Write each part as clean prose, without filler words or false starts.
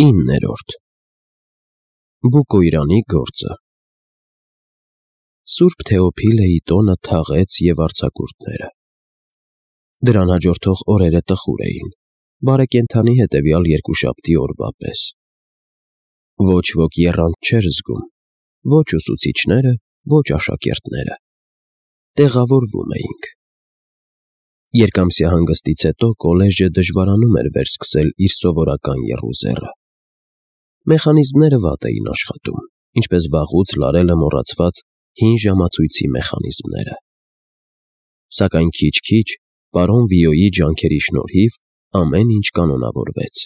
9. Բուկոյրանի գործը Սուրբ Թեոփիլեի տոնը թաղեց և արձակուրդները։ Դրան հաջորդող օրերը տխուր էին, բարեկենդանի հետևյալ երկուշաբթի օրվա պես։ Ոչ ոք եռանդ չէր զգում, ոչ ուսուցիչները, ոչ աշակերտները։ Տեղավորվում էինք։ Երկամսյա հանգստից հետո կոլեջը դժվարանում էր վերսկսել իր սովորական եռուզեռը։ Մեխանիզմները վատ էին աշխատում, ինչպես վաղուց լարելը մոռացված հին ժամացույցի մեխանիզմները։ Սակայն քիչ-քիչ պարոն Վիոյի ջանքերի շնորհիվ ամեն ինչ կանոնավորվեց։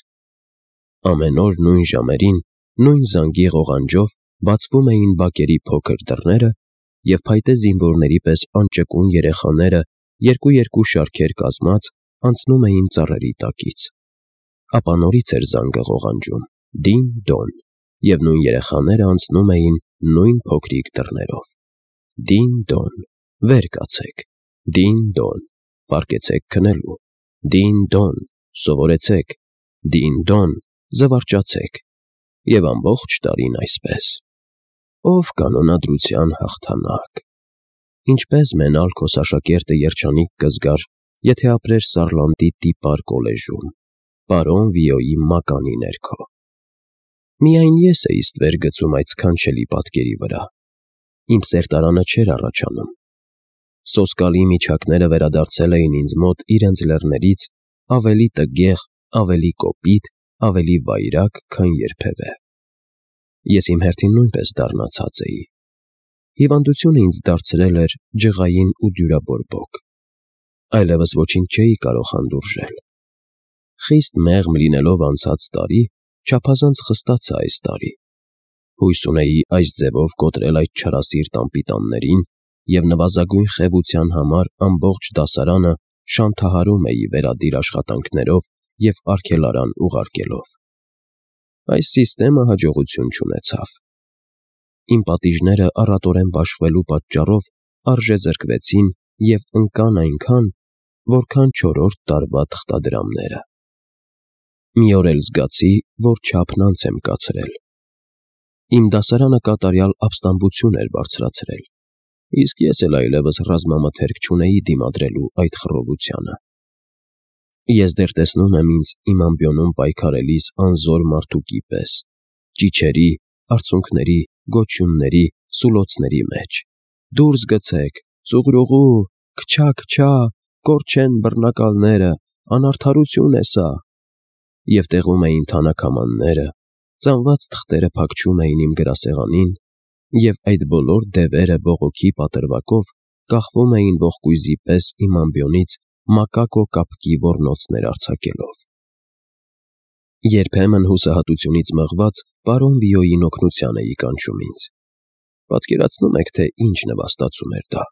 Ամեն օր նույն ժամերին, նույն զանգի ղողանջով բացվում էին բակերի փոքր դռները, և փայտե զինվորների պես անճկուն երեխաները երկու շարքեր կազմած անցնում էին ծառերի տակից։ Ապա նորից էր զանգը ղողանջում, դին-դոն, և նույն երեխաները անցնում էին նույն փոքրիկ դռներով։ Դին-դոն, վեր կացեք, դին-դոն, պառկեցեք քնելու, դին-դոն, սովորեցեք, դին-դոն, զվարճացեք, և ամբողջ տարին այսպես։ Ով կանոնադրության հաղթանակ։ Ինչպես մենալ քո սաշակերտը երջանիկ կզգար, եթե ապրեր Սարլանդի տիպար կոլեժում, պարոն Վիոյի մականի ներքո։ Միայն ես էի ստվեր գցում այդ սքանչելի պատկերի վրա։ Իմ սերտարանը չէր առաջանում։ Սոսկալի միջակները վերադարձել էին ինձ մոտ իրենց լեռներից ավելի տգեղ, ավելի կոպիտ, ավելի վայրագ, քան երբևէ։ Ես իմ հերթին նույնպես դառնացած էի։ Հիվանդությունը ինձ դարձրել էր ջղային ու դյուրաբորբոք։ Այլևս ոչինչ չէի կարող հանդուրժել։ Խիստ մեղմ լինելով անցած տարի, չափազանց խստացա այս տարի։ Հույս ունեի այս ձևով կոտրել այդ չարասիրտ անպիտաններին և նվազագույն խեղության համար ամբողջ դասարանը շանթահարում էի վերադիր աշխատանքներով և արգելարան ուղարկելով։ Այս սիստեմը հաջողություն չունեցավ։ Իմ պատիժները առատորեն բաշխվելու պատճառով արժեզրկվեցին և ընկան այնքան, որքան չորրորդ տարվա թղթադրամները։ Մի օր էլ զգացի, որ չափն անց եմ կացրել։ Իմ դասարանը կատարյալ ապստամբություն էր բարձրացրել, իսկ ես էլ այլևս ռազմամթերք չունեի դիմադրելու այդ խռովությանը։ Ես դեռ տեսնում եմ ինձ իմ ամբիոնում պայքարելիս անզոր մարդուկի պես, ճիչերի, արցունքների, գոչյունների, սուլոցների մեջ. «Դուրս գցեք, ծուղրուղու, քչա, քչա, կորչեն բռնակալները, անարդարություն է սա»։ Եվ տեղում էին թանաքամանները, ծանված թղթերը փակչում էին իմ գրասեղանին, և այդ բոլոր դևերը բողոքի պատրվակով կախվում էին ողկույզի պես իմ ամբիոնից մակակո կապկի ոռնոցներ արձակելով։ Երբեմն հուսահատությունից մղված պարոն Վիոյին օգնության էի կանչում ինձ։ Պատկերացնո՞ւմ եք, թե ինչ նվաստացում էր դա։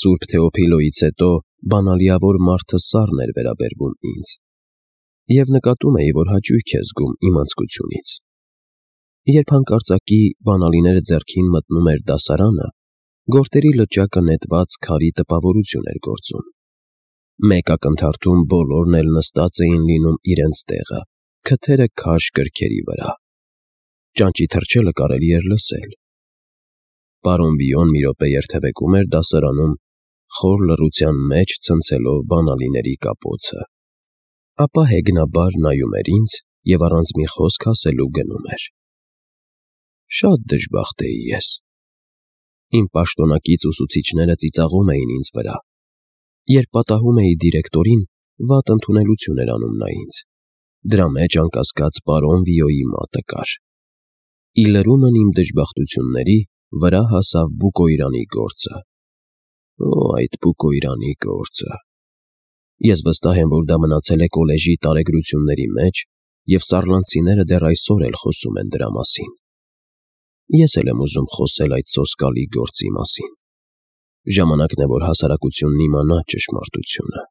Սուրբ Թեոփիլոյից հետո բանալիավոր մարդը սառն էր վերաբերվում ինձ։ Եվ նկատում էի, որ հաճույք է զգում իմ անձկությունից։ Երբ հանկարծակի բանալիները ձեռքին մտնում էր դասարանը, գորտերի լճակը նետված քարի տպավորություն էր գործում։ Մեկ ակնթարթում բոլորն էլ նստած էին լինում իրենց տեղը, քթերը քաշ գրքերի վրա։ Ճանճի թռչելը կարելի էր լսել։ Պարոն Վիոն մի րոպե երթևեկում էր դասարանում, խոր լռության մեջ ցնցելով բանալիների կապոցը։ Ապա հեգնաբար նայում էր ինձ և առանց մի խոսք ասելու գնում էր։ Շատ դժբախտ էի ես։ Իմ պաշտոնակից ուսուցիչները ծիծաղում էին ինձ վրա։ Երբ պատահում էի դիրեկտորին, վատ ընդունելություն էր անում նա ինձ։ Դրա մեջ անկասկած պարոն Վիոյի մատը կար։ Ի լրումն իմ դժբախտությունների վրա հասավ Բուկոյրանի գործը։ Օ, այդ Բուկոյրանի գործը։ Ես վստահ եմ, որ դա մնացել է կոլեժի տարեգրությունների մեջ, և սարլանդցիները դեռ այսօր էլ խոսում են դրա մասին։ Ես էլ եմ ուզում խոսել այդ սոսկալի գործի մասին։ Ժամանակն է, որ հասարակությունն իմանա ճշմարտությունը։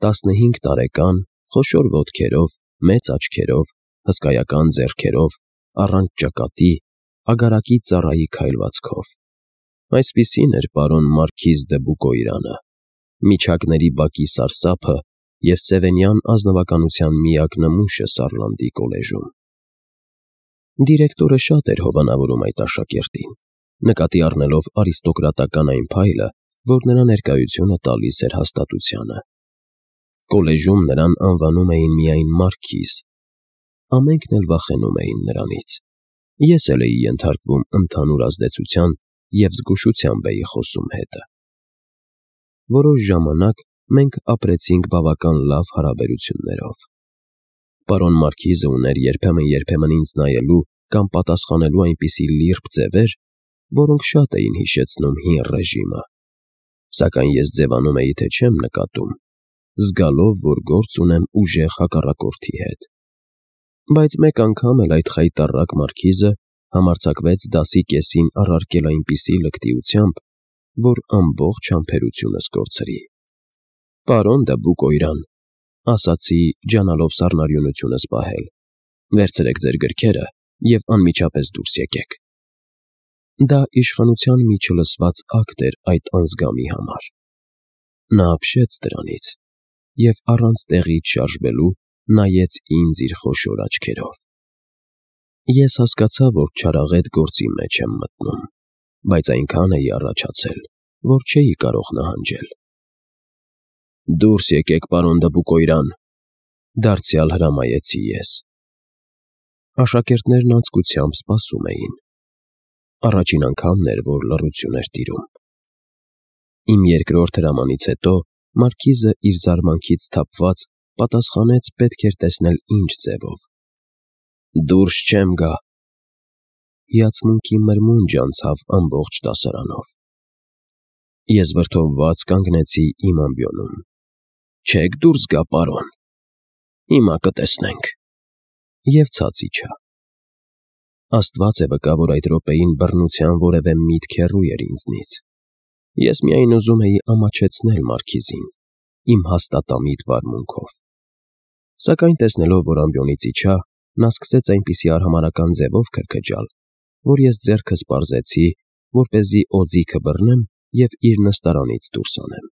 15 տարեկան, խոշոր ոտքերով, մեծ աչքերով, հսկայական ձեռքերով, առանց ճակատի, ագարակի ծառայի քայլվածքով։ Այսպիսին էր պարոն մարքիզ դը Բուկոյրանը, միջակների բակի սարսափը և սևենյան ազնվականության միակ նմուշը Սարլանդի կոլեժում։ Դիրեկտորը շատ էր հովանավորում այդ աշակերտին, նկատի առնելով արիստոկրատական այն փայլը, որ նրա ներկայությունը տալիս էր հաստատությանը։ Կոլեժում նրան անվանում էին միայն մարքիզ։ Ամենքն էլ վախենում էին նրանից։ Ես էլ էի ենթարկվում ընդհանուր ազդեցության և զգուշությամբ էի խոսում հետը։ Որոշ ժամանակ մենք ապրեցինք բավական լավ հարաբերություններով։ Պարոն մարքիզը ուներ երբեմն ինձ նայելու կամ պատասխանելու այնպիսի լիրբ ձևեր, որոնք շատ էին հիշեցնում հին ռեժիմը, սակայն ես ձևանում էի, թե չեմ նկատում, զգալով, որ գործ ունեմ ուժեղ հակառակորդի հետ։ Բայց մեկ անգամ էլ այդ խայտառակ մարքիզը համարձակվեց դասի կեսին առարկել այնպիսի լկտիությամբ, որ ամբողջ համբերությունս կորցրի։ «Պարոն Դաբուկոյրան», ասացի, ջանալով սառնարյունությունս պահել, «վերցրեք ձեր գրքերը և անմիջապես դուրս եկեք»։ Դա իշխանության մի չլսված ակտ էր այդ անզգամի համար։ Նա ապշեց դրանից և առանց տեղից շարժվելու նայեց ինձ իր խոշոր աչքերով։ Ես հասկացա, որ չարաղետ գործի մեջ եմ մտնում, բայց այնքան էի առաջացել, որ չէի կարող նահանջել։ «Դուրս եկեք, պարոն Դաբուկոյրան», դարձյալ հրամայեցի ես։ Աշակերտներն անձկությամբ սպասում էին։ Առաջին անգամն էր, որ լռություն էր տիրում։ Իմ երկրորդ հրամանից հետո մարքիզը իր զարմանքից թափված պատասխանեց պետք էր տեսնել ինչ ձևով։ «Դուրս չեմ գա»։ Հիացմունքի մրմունջ անցավ ամբողջ դասարանով։ Ես վրդովված կանգնեցի իմ ամբիոնում։ «Չեք դուրս գա, պարոն։ Հիմա կտեսնենք»։ Եվ ցած իջա։ Աստված է վկա, որ այդ րոպեին բռնության որևէ միտք հեռու էր ինձնից։ Ես միայն ուզում էի ամաչեցնել մարքիզին, իմ հաստատամիտ վարմունքով։ Սակայն տեսնելով, որ ամբիոնից իջա, նա սկսեց այնպիսի արհամարհական ձևով քրքջալ, որ ես ձեռքս պարզեցի, որպեսզի օձիքը բռնեմ և իր նստարանից դուրս անեմ։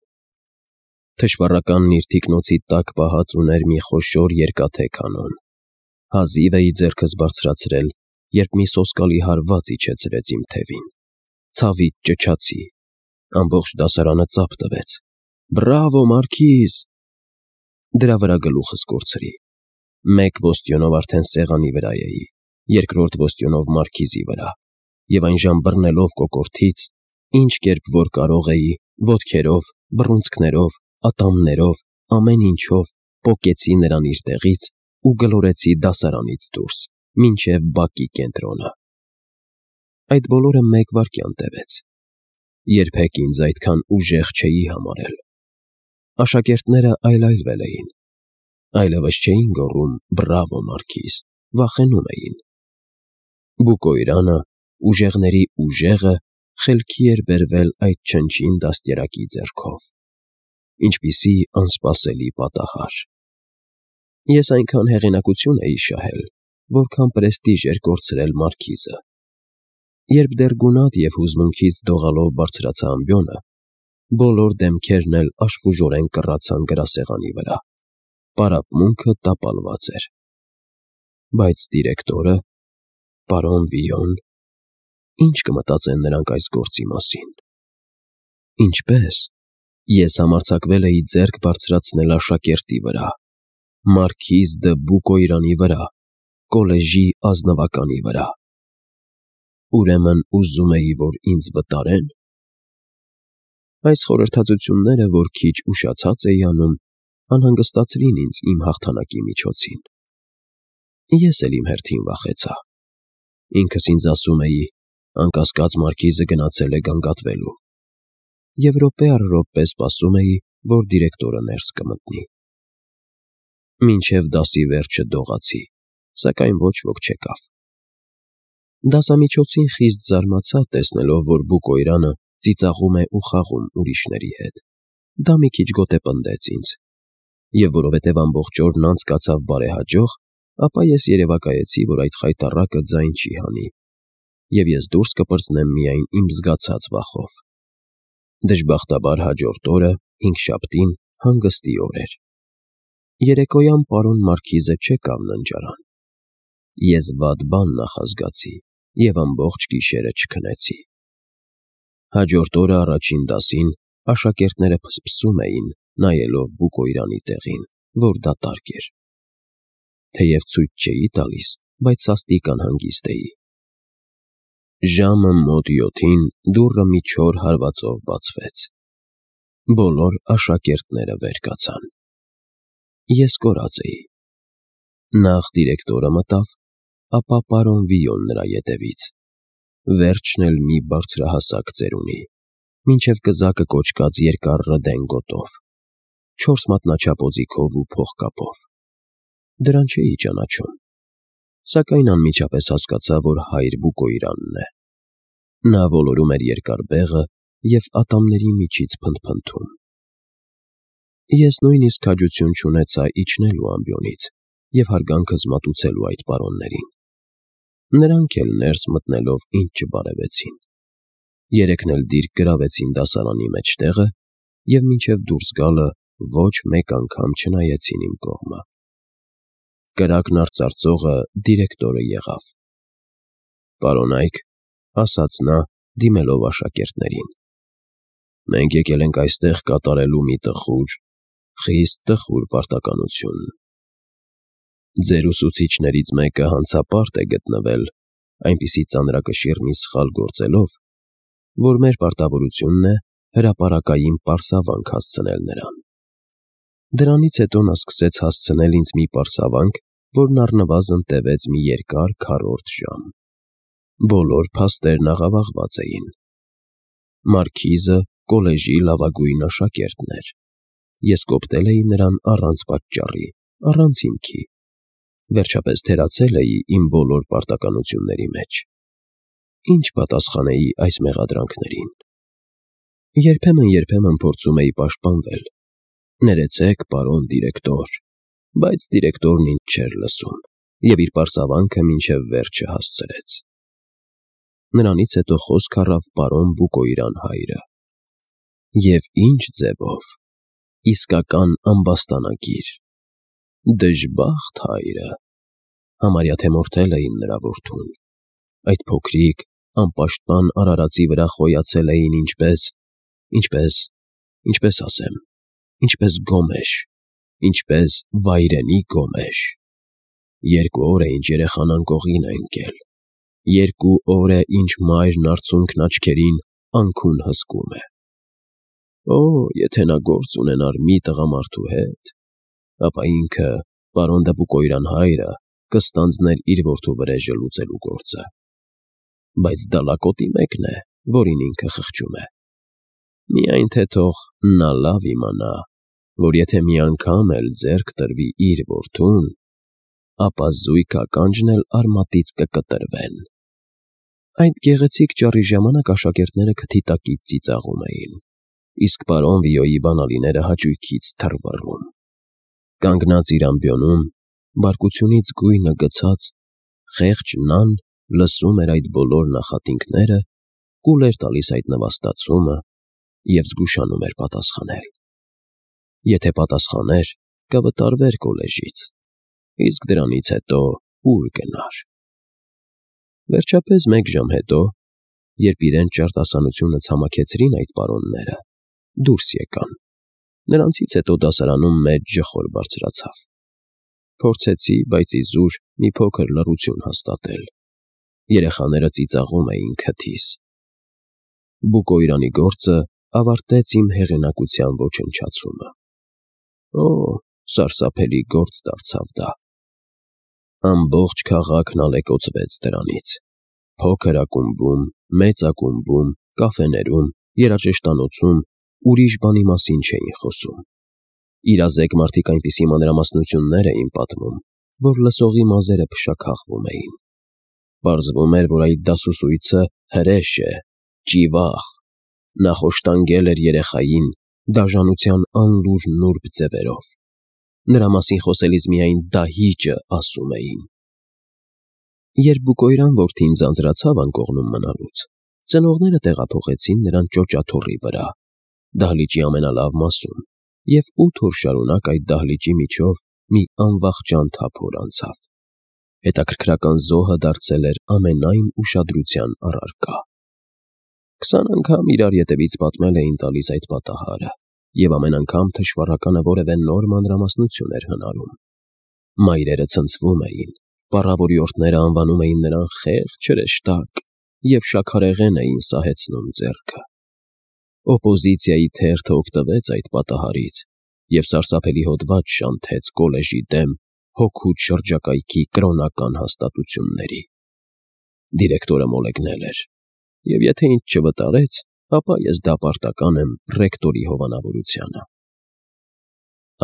Թշվառական նիրթիկնոցի տակ պահած ուներ մի խոշոր երկաթե կանոն։ Հազիվ էի ձեռքս բարձրացրել, երբ մի սոսկալի հարված իջեցրեց իմ թևին։ Ցավից ճչացի։ Ամբողջ դասարանը ծափ տվեց։ «Բրավո, մարքիզ»։ Դրա վրա գլուխս կորցրի։ Մեկ ոստյոնով արդեն սեղանի վրա էի, երկրորդ ոստյոնով մարքիզի վրա, և այն բռնելով կոկորդից, ինչ կերպ որ կարող էի, ոտքերով, բռունցքներով, ատամներով, ամեն ինչով պոկեցի նրան իր տեղից ու գլորեցի դասարանից դուրս, մինչև բակի կենտրոնը։ Այդ բոլորը մեկ վայրկյան տևեց։ Երբեք ինձ այդքան ուժեղ չէի համարել։ Աշակերտները այլայլվել էին։ Այլևս չէին գոռում «Բրավո, մարքիզ», վախենում էին։ Բուկոյրանը, ուժեղների ուժեղը, խելքի էր բերվել այդ չնչին դաստիարակի ձեռքով։ Ինչպիսի անսպասելի պատահար։ Ես այնքան հեղինակություն էի շահել, որքան պրեստիժ էր կորցրել մարքիզը։ Երբ դեռ գունատ և հուզմունքից դողալով բարձրացա ամբիոնը, բոլոր դեմքերն էլ աշխուժորեն կռացան գրասեղանի վրա։ Պարապմունքը տապալված էր։ Բայց դիրեկտորը, պարոն Վիոն, ի՞նչ կմտածեն նրանք այս գործի մասին։ Ինչպե՞ս։ Ես համարձակվել էի ձեռք բարձրացնել աշակերտի վրա, մարքիզ դը Բուկոյրանի վրա, կոլեժի ազնվականի վրա։ Ուրեմն ուզում էի, որ ինձ վտարե՞ն։ Այս խորհրդածությունները, որ քիչ ուշացած էի անում, անհանգստացրին ինձ իմ հաղթանակի միջոցին։ Ես էլ իմ հերթին վախեցա։ Ինքս ինձ ասում էի. անկասկած մարքիզը գնացել է գանգատվելու։ Եվ րոպե առ րոպե սպասում էի, որ դիրեկտորը ներս կմտնի։ Մինչև դասի վերջը դողացի, սակայն ոչ ոք չեկավ։ Դասամիջոցին խիստ զարմացա, տեսնելով, որ Բուկոյրանը ծիծաղում է ու խաղում ուրիշների հետ։ Դա մի քիչ գոտեպնդեց ինձ։ Եվ որովհետև ամբողջ օրն անցկացավ բարեհաջող, ապա ես երևակայեցի, որ այդ խայտառակը ձայն չի հանի, և ես դուրս կպրծնեմ միայն իմ զգացած վախով։ Դժբախտաբար հաջորդ օրը, հինգշաբթին, հանգստի օր էր։ Երեկոյան պարոն Մարքիզը չեկավ ննջարան։ Ես վատ բան նախազգացի և ամբողջ գիշերը չքնեցի։ Հաջորդ օրը առաջին դասին աշակերտները փսփսում էին, նայելով Բուկոյրանի տեղին, որ դատարկ էր։ Թեև ցույց չէի տալիս, բայց սաստիկ անհանգիստ էի։ Ժամը մոտ 7-ին դուռը մի չոր հարվածով բացվեց։ Բոլոր աշակերտները վեր կացան։ Ես կորած էի։ Նախ դիրեկտորը մտավ, ապա պարոն Վիոն նրա ետևից, վերջն էլ մի բարձրահասակ ծերունի, մինչև կզակը կոճկած երկար ռդենգոտով, 4 մատնաչափ օձիքով ու փողկապով։ Դրան չէի ճանաչում, սակայն անմիջապես հասկացա, որ հայր Բուկոյրանն է։ Նա ոլորում էր երկար բեղը և ատամների միջից փնթփնթում։ Ես նույնիսկ քաջություն չունեցա իջնելու ամբիոնից և հարգանքս մատուցելու այդ պարոններին։ Նրանք էլ ներս մտնելով ինձ չբարևեցին։ Երեքն էլ դիրք գրավեցին դասարանի մեջտեղը և մինչև դուրս գալը ոչ մեկ անգամ չնայեցին իմ կողմը։ Կրակն արծարծողը դիրեկտորը եղավ։ «Պարոն Այք», ասաց նա, դիմելով աշակերտներին, «մենք եկել ենք այստեղ կատարելու մի խիստ տխուր պարտականություն։ Ձեր ուսուցիչներից մեկը հանցապարտ է գտնվել այնպիսի ծանրակշիռ մի սխալ գործելով, որ մեր պարտավորությունն է հրապարակային պարսավանք հասցնել նրան։ Դրանից հետո նա սկսեց հասցնել ինձ մի պարսավանք, որն առնվազն տևեց մի երկար քառորդ ժամ։ Բոլոր փաստերն աղավաղված էին։ Մարքիզը կոլեժի լավագույն աշակերտն էր։ Ես կոպտել էի նրան առանց պատճառի, առանց հիմքի։ Վերջապես թերացել էի իմ բոլոր պարտականությունների մեջ։ Ինչ պատասխանեի այս մեղադրանքներին։ Երբեմն փորձում էի պաշտպանվել։ Ներեցեք, պարոն դիրեկտոր, բայց դիրեկտորն ինձ չէր լսում և իր պարսավանքը մինչև վերջը հասցրեց։ Նրանից հետո խոսք առավ պարոն Բուկոյրան հայրը։ Եվ ինչ ձևով, իսկական ամբաստանագիր, դժբախտ հայրը, համարյա թե մորթել էին նրա որդուն։ Այդ փոքրիկ, անպաշտպան արարածի վրա խոյացել էին ինչպես գոմեշ, ինչպես վայրենի գոմեշ։ 2 օր է ինչ երեխան անկողին է ընկել, 2 օր է ինչ մայրն արցունքն աչքերին անքուն հսկում է։ Օ, եթե նա գործ ունենար մի տղամարդու հետ, ապա ինքը, պարոն Բուկոյրան հայրը, կստանձներ իր որդու վրեժը լուծելու գործը։ Բայց դա լակոտի մեկն է, որին ինքը խղճում է։ Միայն թե թող նա լավ իմանա, որ եթե մի անգամ էլ ձեռք տրվի իր որդուն, ապա զույգ ականջն էլ արմատից կկտրվեն։ Այդ գեղեցիկ ճառի ժամանակ աշակերտները քթի տակից ծիծաղում էին, իսկ պարոն Վիոյի բանալիները հաճույքից թռվռում։ Կանգնած իր ամբիոնում, բարկությունից գույնը գցած, խեղճ Նան լսում էր այդ բոլոր նախատինքները, կուլ էր տալիս այդ նվաստացումը և զգուշանում էր պատասխանել։ Եթե պատասխաներ, կվտարվեր կոլեժից, իսկ դրանից հետո ուր գնար։ Վերջապես 1 ժամ հետո, երբ իրենց ճարտասանությունը ցամաքեցրին այդ պարոնները, դուրս եկան։ Նրանցից հետո դասարանում մեծ ջխոր բարձրացավ։ Փորձեցի, բայց իզուր մի փոքր լռություն հաստատել։ Երեխաները ծիծաղում էին քթիս։ Բուկոյրանի գործը ավարտեց իմ հեղինակության ոչնչացումը։ Օ, սարսափելի գործ դարձավ դա։ Ամբողջ քաղաքն ալեկոծվեց դրանից։ Փոքր ակումբում, մեծ ակումբում, կաֆեներում, երաժշտանոցում ուրիշ բանի մասին չէին խոսում։ Իրազեկ մարդիկ այնպիսի մանրամասնություններ էին պատմում, որ լսողի մազերը փշաքաղվում էին։ Պարզվում էր, որ այդ դասուսույցը հրեշ է, ճիվաղ, նա խոշտանգել էր երեխային դաժանության անլուր նուրբ ձևերով։ Նրա մասին խոսելիս միայն դահիճը ասում էին։ Երբ Բուկոյրան որդին ձանձրացավ անկողնում մնալուց, ծնողները տեղափոխեցին նրան ճոճաթոռի վրա, դահլիճի ամենալավ մասում, և 8 օր շարունակ այդ դահլիճի միջով մի անվախճան թափոր անցավ։ Հետաքրքրական զոհը դարձել էր ամենայն ուշադրության առարկա։ 20 անգամ իրար ետևից պատմել էին տալիս այդ պատահարը, և ամեն անգամ թշվառականը որևէ նոր մանրամասնություն էր հնարում։ Մայրերը ցնցվում էին, պառավորյորդները անվանում էին նրան խեղճ հրեշտակ և շաքարեղեն էին սահեցնում ձեռքը։ Օպոզիցիայի թերթը օգտվեց այդ պատահարից և սարսափելի հոդված շանթեց կոլեժի դեմ հօգուտ շրջակայքի կրոնական հաստատությունների։ Դիրեկտորը մոլեգնել էր, և եթե ինձ չվտարեց, ապա ես դապարտական եմ ռեկտորի հովանավորությանը։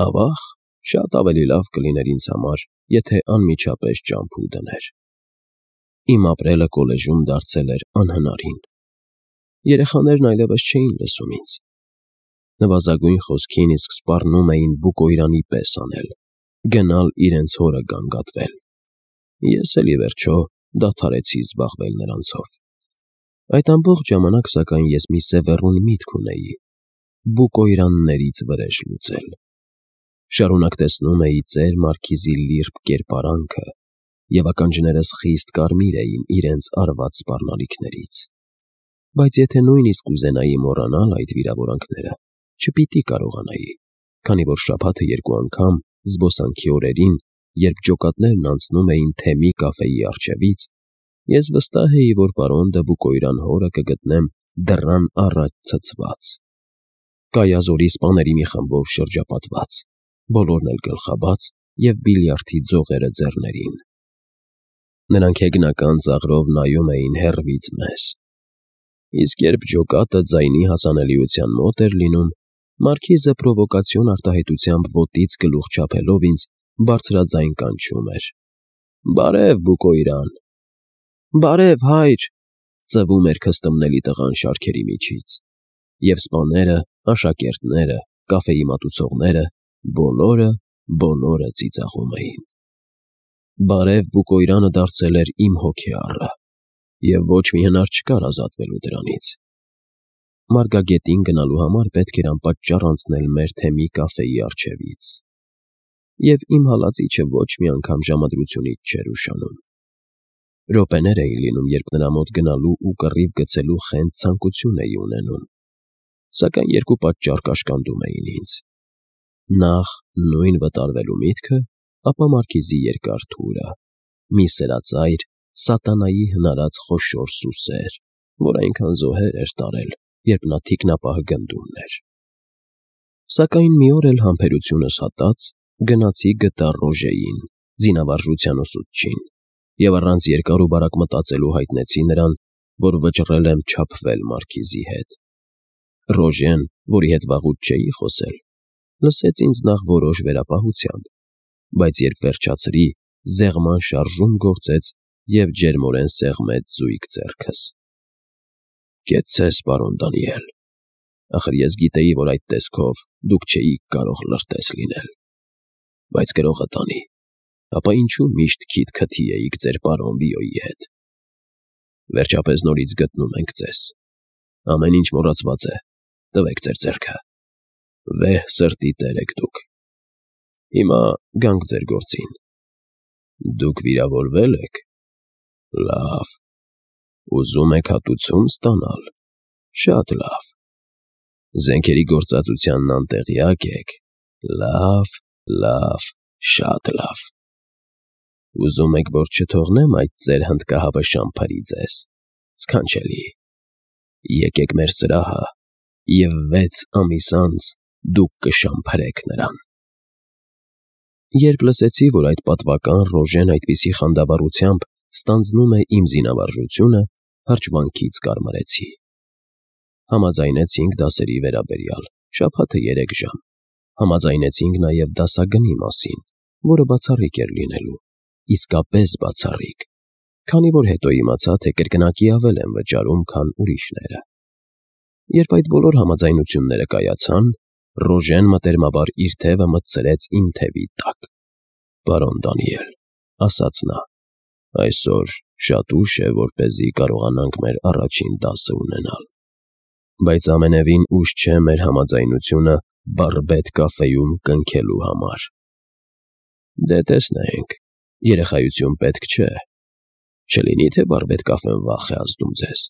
Ավաղ, շատ ավելի լավ կլիներ ինձ համար, եթե անմիջապես ճամփու դներ։ Իմ ապրելը կոլեժում դարձել էր անհնարին։ Երեխաներն այլևս չէին լսում ինձ։ Նվազագույն խոսքին իսկ սպառնում էին բուկոյրանի պես անել, գնալ իրենց հորը գանգատվել։ Ես էլ, ի վերջո, դադարեցի զբաղվել նրանցով։ Այդ ամբողջ ժամանակ, սակայն, ես մի սևեռուն միտք ունեի՝ բուկոյրաններից վրեժ լուծել։ Շարունակ տեսնում էի ծեր Մարքիզի լիրբ կերպարանքը, և ականջներս խիստ կարմիր էին իրենց արված սպառնալիքներից։ Բայց եթե նույնիսկ կուզենայի մոռանալ այդ վիրավորանքները, չպիտի կարողանայի, քանի որ շաբաթը 2 անգամ զբոսանքի օրերին, երբ ջոկատներն անցնում էին Թեմի կաֆեի առջևից, ես վստահ էի, որ պարոն դը Բուկոյրան հորը կգտնեմ դռան առաջ ցցված, կայազորի սպաների մի խմբով շրջապատված, բոլորն էլ գլխաբաց և բիլիարդի ձողերը ձեռներին։ Նրանք հեգնական ծաղրով նայում էին հեռվից մեզ։ Իսկ երբ ջոկատը ձայնի հասանելիության մոտ էր լինում, Մարքիզը պրովոկացիոն արտահայտությամբ ոտից գլուխ չափելով ինձ բարձրաձայն կանչում էր. «Բարև, Բուկոյրան»։ «Բարև, հայր», ծվում էր քստմնելի տղան շարքերի միջից, և սպաները, աշակերտները, կաֆեի մատուցողները բոլորը ծիծաղում էին։ «Բարև, Բուկոյրանը» դարձել էր իմ հոգեառը, և ոչ մի հնար չկար ազատվելու դրանից։ Մարգագետին գնալու համար պետք էր անպատճառ անցնել մեր Թեմի կաֆեի առջևից, և իմ հալածիչը ոչ մի անգամ ժամադրությունից չէր ուշանում։ Րոպեներ էին լինում, երբ նրա մոտ գնալու ու կռիվ գցելու խենթ ցանկություն էի ունենում, սակայն երկու պատճառ կաշկանդում էին ինձ. նախ նույն վտարվելու միտքը, ապա Մարքիզի երկար թուրը, մի սրածայր, սատանայի հնարած խոշոր սուսեր, որ այնքան զոհեր էր տարել, երբ նա թիկնապահ գնդումն էր։ Սակայն մի օր էլ համբերությունս հատած, գնացի գտա Ռոժեին, զինավարժության ուսուցչին, և առանց երկար ու բարակ մտածելու հայտնեցի նրան, որ վճռել եմ չափվել Մարքիզի հետ։ Ռոժեն, որի հետ վաղուց չէի խոսել, լսեց ինձ նախ որոշ վերապահությամբ, բայց երբ վերջացրի, զեղման շարժում գործեց և ջերմորեն սեղմեց զույգ ձեռքս։ «Կեցցես, պարոն Դանիել, ախր ես գիտեի, որ այդ տեսքով դուք չէիք կարող լրտես լինել, բայց գրողը տանի, ապա ինչու միշտ քիթ քթի էիք ձեր պարոն Վիոյի հետ։ Վերջապես նորից գտնում ենք ձեզ, ամեն ինչ մոռացված է, տվեք ձեր ձեռքը, վեհ սրտի տեր եք դուք։ Հիմա գանք ձեր գործին։ Դուք վիրավորվել եք։ Լավ։ Ուզում եք հատուցում ստանալ։ Շատ լավ։ Զենքերի գործածությանն անտեղյակ եք։ Լավ, շատ լավ։ Ուզում եք, որ չթողնեմ այդ ձեր հնդկահավշան փրի ձեզ։ Սքանչելի։ Եկեք մեր սրահը, և 6 ամիս անց դուք կշամփրեք նրան»։ Երբ լսեցի, որ այդ պատվական Ռոժեն այդպիսի խանդավառությամբ ստանձնում է իմ զինավարժությունը, հրճվանքից կարմրեցի։ Համաձայնեցինք դասերի վերաբերյալ, շաբաթը 3 ժամ։ Համաձայնեցինք նաև դասագնի մասին, որը բացառիկ էր լինելու, իսկապես բացառիկ, քանի որ հետո իմացա, թե կրկնակի ավել եմ վճարում, քան ուրիշները։ Երբ այդ բոլոր համաձայնությունները կայացան, Ռոժեն մտերմաբար իր թևը մտցրեց իմ թևի տակ։ «Պարոն Դանիել», ասաց նա, «այսօր շատ ուշ է, որպեսզի կարողանանք մեր առաջին դասը ունենալ, բայց ամենևին ուշ չէ մեր համաձայնությունը Բարբետ կաֆեում կնքելու համար»։ Դե տեսնենք, երեխայություն պետք չէ։ Չլինի թե բարբեդ կաֆեն վախ է ազդում ձեզ։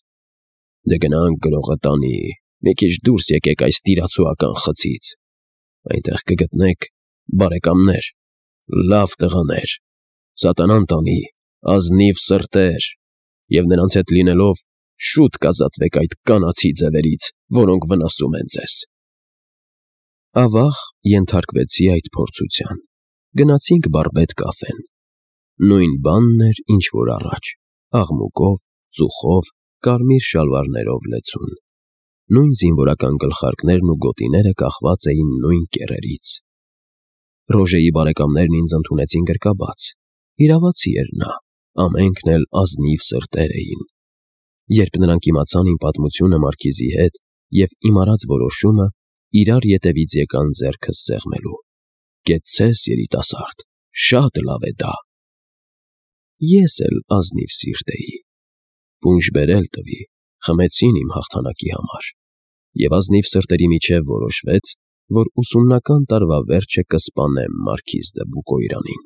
Դե գնանք գրողը տանի, մի քիչ դուրս եկեք այս տիրացուական խցից։ Այնտեղ կգտնեք բարեկամներ, լավ տղաներ, սատանան տանի, ազնիվ սրտեր, և նրանց հետ լինելով շուտ կազատվեք այդ կանացի ձևերից, որոնք վնասում են ձեզ։ Ավաղ ենթարկվեցի այդ փորձության։ Գնացինք բարբեդ կաֆեն։ Նույն բանն էր, ինչ որ առաջ, աղմուկով, ծուխով, կարմիր շալվարներով լեցուն։ Նույն զինվորական գլխարկներն ու գոտիները կախված էին նույն կեռերից։ Ռոժեի բարեկամներն ինձ ընդունեցին գրկաբաց։ Իրավացի էր նա, ամենքն էլ ազնիվ սրտեր էին։ Երբ նրանք իմացան իմ պատմությունը մարքիզի հետ և իմ արած որոշումը, իրար ետևից եկան ձեռքս սեղմելու։ Կեցցես, երիտասարդ, շատ լավ է դա։ Ես էլ ազնիվ սիրտ էի։ Պունջ բերել տվի, խմեցին իմ հաղթանակի համար։ Եվ ազնիվ սրտերի միջև որոշվեց, որ ուսումնական տարվա վերջը կսպանեմ մարքիզ դը Բուկոյրանին։